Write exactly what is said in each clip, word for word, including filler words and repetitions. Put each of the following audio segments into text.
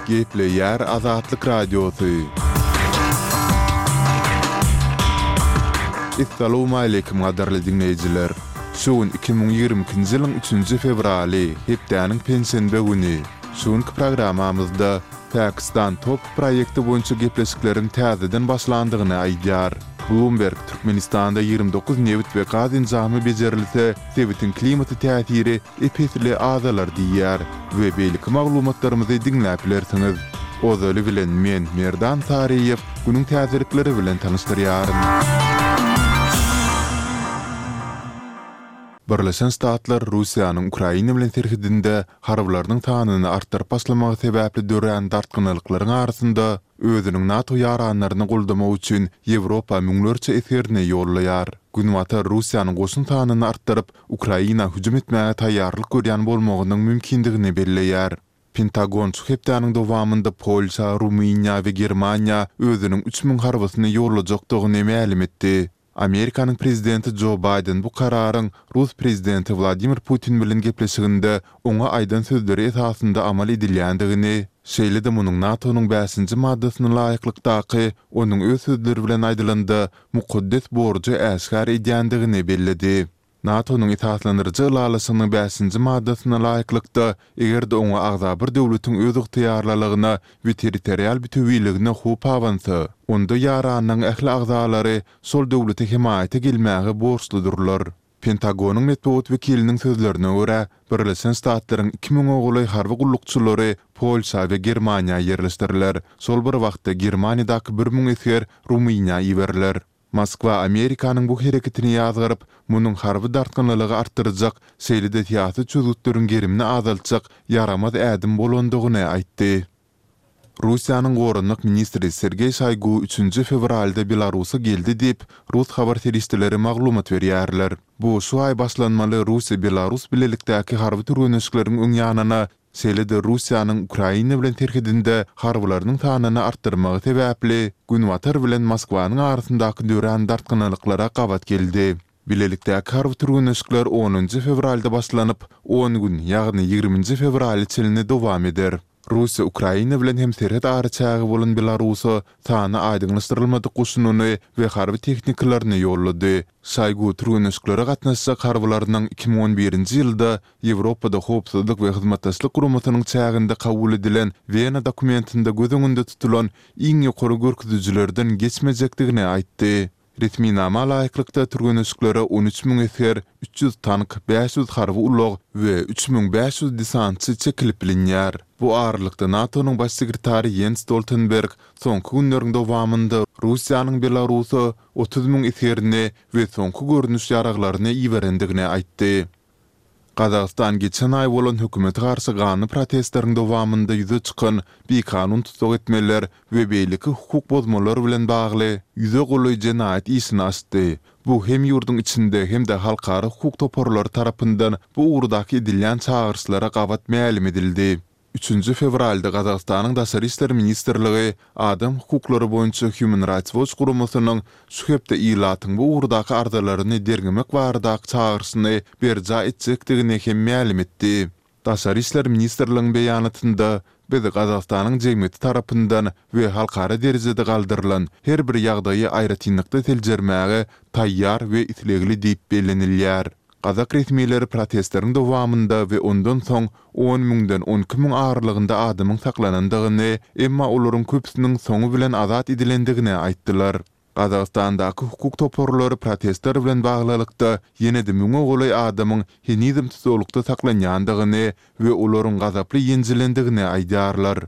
Gepleýär Azatlyk Radiosy. Essalawmaleýkim gadyrly diňleýjiler! Şu gün iki müň ýigrimi ikinji ýylyň üçünji fewraly, hepdäniň penşenbe güni. Şu günki programmamyzda Pakistan top proýekti boýunça gepleşikleriň täzeden başlandygyny aýdýar. Bloomberg Türkmenistanda ýigrimi dokuz nebit we gaz enjamy bejerilse, sebitiň klimata täsiri ep-esli azalar diýýär we beýleki maglumatlarymyzy diňläp bilersiňiz. Ozaly bilen men, Merdan Saryýew, günüň täzelikleri bilen tanyşdyrýaryn. Birleşen Ştatlar Russiýanyň Ukraina bilen serhedinde harbylarynyň sanyny artdyryp başlamagy sebäpli dörän dartgynlylyklaryň arasynda özüniň NATO ýaranlaryny goldamak üçin Ýewropa müňlerçe esgerini ýollaýar. Günbatar Russiýanyň goşun sanyny artdyryp, Ukraina hüjüm etmäge taýýarlyk görýän bolmagynyň mümkindigini belleýär. Pentagon şu hepdäniň dowamynda Polşa, Rumyniýa we Germaniýa özüniň üç müň harbysyny ýollajakdygyny mälim etdi. Amerikanyň prezidenti Jo Baýden bu kararyň rus prezidenti Wladimir Putin bilen gepleşiginde oňa aýdan sözleri esasynda amal edilýändigini, şeýle-de munuň NATO-nyň bäşinji maddasyna laýyklykdaky, onuň öz sözleri bilen aýdylanda, mukaddes borjy äşgär edýändigini belledi. NATO-nyň esaslandyryjy ylalaşygynyň bäşinji maddasyna laýyklykda, eger-de oňa agza bir döwletiň özygtyýarlylygyna we territorial bütewiligine howp abansa, onda ýaranlygyň ähli agzalary şol döwlete hemaýata gelmäge borçludyrlar. Pentagonyň metbugat wekiliniň sözlerine görä, Birleşen Ştatlaryň iki müňe golaý harby gullukçylary Polşa we Germaniýa ýerleşdiriler. Şol bir wagtda Germaniýadaky bir müň esger Rumyniýa iberiler. Moskwa Amerikanyň bu hereketini ýazgaryp, munuň harby dartgynlylygy artdyrjak, şeýle-de syýasy çözgütleriň gerimini azaltjak ýaramaz ädim bolandygyny aýtdy. Russiýanyň goranmak ministri Sergeý Şoýgu üçünji fewralda Belarusa geldi diýip, rus habar serişdeleri maglumat berýärler. Bu şu aý başlanmaly Russiýa-Belarus bilelikdäki harby türgenleşikleriň öň ýanyna Şeýle-de Russiýanyň Ukraina bilen serhedinde harbylarynyň sanyny artdyrmagy sebäpli Günbatar bilen Moskwanyň arasyndaky dörän dartgynlylyklara gabat geldi. Bilelikdäki harby türgenleşikler onunjy fewralda başlanyp, on gün, ýagny ýigriminji fewrala çenli dowam eder. Russiýa Ukraina bilen hem serhet araçägi bolan Belarusa sany aýdyňlaşdyrylmadyk goşunyny we harby tehnikalaryny ýollady. Şoýgu türgenleşiklere gatnaşjak harbylarynyň iki müň on birinji ýylda Ýewropada Howpsuzlyk we Hyzmatdaşlyk Guramasynyň çäginde kabul edilen Wena dokumentinde göz öňünde tutulan iň ýokary görkezijilerden geçmejekdigini aýtdy. Resminama laýyklykda, türgenleşiklere on üç müň esger, üç ýüz tank, bäş ýüz harby ulag we üç müň bäş ýüz desantçy çekilip bilinýär. Bu aralykda, NATO-nyň Baş sekretary Ýens Stoltenberg soňky günleriň dowamynda Russiýanyň Belarusa otuz müň esgerini we soňky görnüş ýaraglaryny iberendigini aýtdy. Gazagystan geçen aý bolan hökümete garşy ganly protestleriň dowamynda ýüze çykan bikanun tussag etmeler we beýleki hukuk bozmalar bilen bagly ýüze golaý jenaýat işini açdy. Bu hem ýurduň içinde hem-de halkara hukuk toparlary tarapyndan bu ugurdaky edilýän çagyryşlara gabat mälim edildi. Üçünji fewralda Gazagystanyň Daşary işler ministrligi adam hukuklary boýunça Human Rights Watch guramasynyň şu hepde ilatyň bu ugurdaky arzalaryny derňemek baradaky çagyryşyny berjaý etjekdigini hem mälim etdi. Daşary işler ministrligiň beýanatynda, Biz Gazagystanyň jemgyýeti tarapyndan we halkara derejede galdyrylan her bir ýagdaýy aýratynlykda seljermäge taýýar we islegli diýip bellenilýär. Gazak resmileri protestleriň dowamynda we ondan soň on müňden on iki müň aralygynda adamyň saklanandygyny, emma olaryň köpüsiniň soňy bilen azat edilendigini aýtdylar. Gazagystandaky hukuk toparlary protestler bilen baglylykda ýene-de müňe golaý adamyň henizem tussaglykda saklanýandygyny we olaryň gazaply ýenjilendigini aýdýarlar.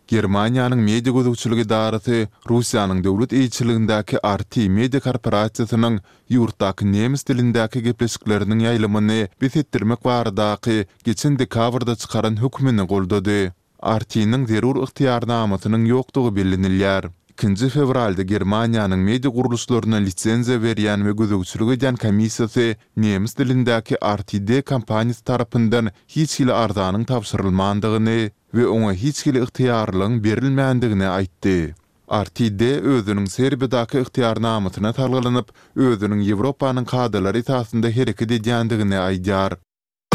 Germaniýanyň media gözegçilik edarasy Russiýanyň döwlet eýeçiligindäki R T media korporasiýasynyň ýurtdaky nemes dilindäki gepleşikleriniň ýaýlymyny bes etdirmek baradaky geçen dekabrda çykaran hökmüni goldady. R T-niň zerur ygtyýarnamasynyň ýokdugy bellenilýär. Ikinji fewralda Germaniýanyň media gurluşlaryna lisenziýa berýän we gözegçilik edýän komissiýasy nemes dilindäki R T D kompaniýasy tarapyndan hiç hili arzanyň tabşyrylmandygyny we oňa hiç hili ygtyýarlygyň berilmändigini aýtdy. R T D özüniň Serbiýadaky ygtyýarnamasyna salgylanyp, özüniň Ýewropanyň kadalary esasynda hereket edýändigini aýdýar.